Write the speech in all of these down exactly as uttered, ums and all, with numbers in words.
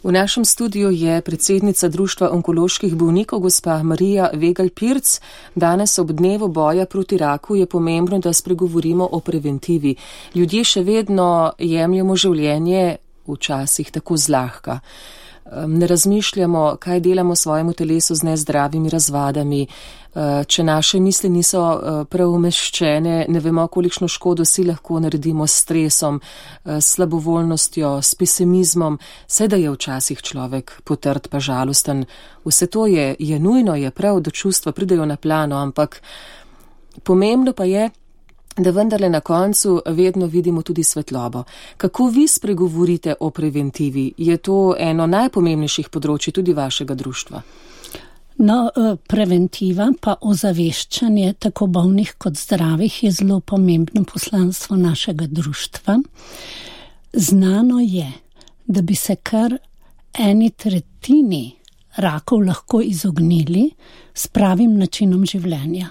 V našem studiu je predsednica Društva onkoloških bolnikov, gospa Marija Vegelj-Pirc. Danes ob dnevu boja proti raku je pomembno, da spregovorimo o preventivi. Ljudje še vedno jemljemo življenje včasih tako zlahka. Ne razmišljamo, kaj delamo svojemu telesu z nezdravimi razvadami. Če naše misli niso prav umeščene, ne vemo, kolikšno škodo si lahko naredimo s stresom, s slabovoljnostjo, s pesimizmom. Vse, da je včasih človek potrd pa žalosten. Vse to je, je nujno, je prav, da čustva pridejo na plano, ampak pomembno pa je, da vendarle na koncu vedno vidimo tudi svetlobo. Kako vi spregovorite o preventivi? Je to eno najpomembnejših področji tudi vašega društva? No, preventiva pa ozaveščanje tako bolnih kot zdravih je zelo pomembno poslanstvo našega društva. Znano je, da bi se kar eni tretjini rakov lahko izognili s pravim načinom življenja,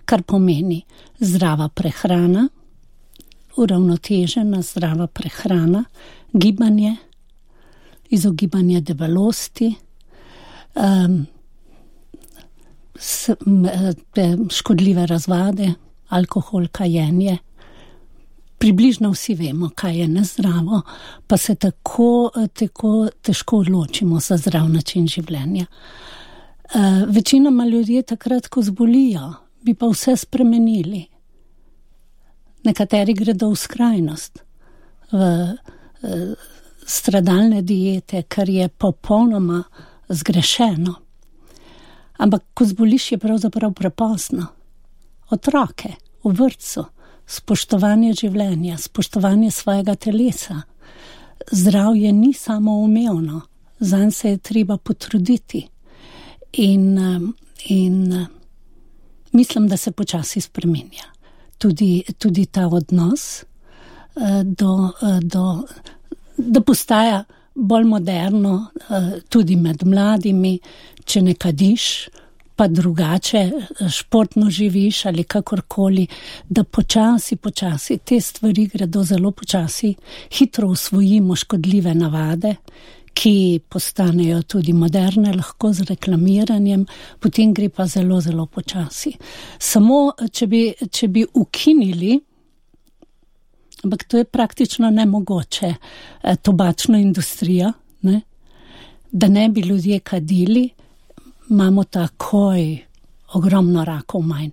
kar pomeni zdrava prehrana, uravnotežena zdrava prehrana, gibanje, izogibanje debelosti, um, s, m, škodljive razvade, alkohol, kajenje. Približno vsi vemo, kaj je nezdravo, pa se tako, tako težko odločimo za zdrav način življenja. Uh, večinoma ljudje takrat, ko zbolijo, bi pa vse spremenili. Nekateri gredo v skrajnost, v uh, stradalne diete, kar je popolnoma zgrešeno. Ampak ko zboliš, je pravzaprav prepozno. Otroke v vrtcu, spoštovanje življenja, spoštovanje svojega telesa. Zdravje ni samoumevno, zanj se je treba potruditi. In, in mislim, da se počasi spreminja. Tudi, tudi ta odnos do, do, da postaja bolj moderno tudi med mladimi, če ne kadiš, pa drugače športno živiš ali kakorkoli, da počasi, počasi te stvari gredo zelo počasi, hitro usvojimo škodljive navade, ki postanejo tudi moderne, lahko z reklamiranjem, potem gre pa zelo, zelo počasi. Samo, če bi, če bi ukinili, ampak to je praktično nemogoče, tobačno industrijo, ne? Da ne bi ljudje kadili, imamo takoj ogromno rakov manj.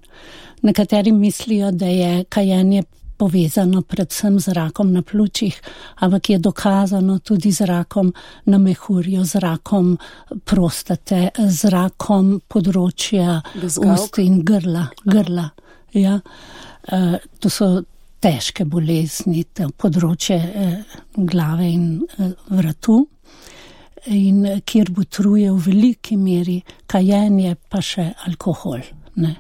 Nekateri mislijo, da je kajenje povezano predvsem z rakom na pljučih, ampak je dokazano tudi z rakom na mehurju, z rakom prostate, z rakom področja ust in grla. grla. Ja. Uh, to so težke bolezni, področje uh, glave in uh, vratu, in kjer botruje v veliki meri kajenje, pa še alkohol. Ne?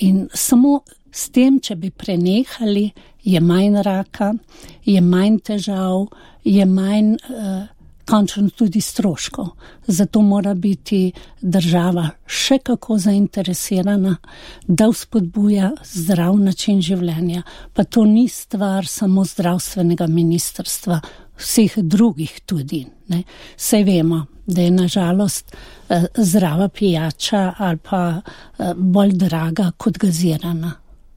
In samo s tem, če bi prenehali, je manj raka, je manj težav, je manj uh, končno tudi stroškov. Zato mora biti država še kako zainteresirana, da vzpodbuja zdrav način življenja. Pa to ni stvar samo zdravstvenega ministrstva, vseh drugih tudi. Ne? Saj vemo, da je nažalost uh, zdrava pijača ali pa uh, bolj draga kot gazirana.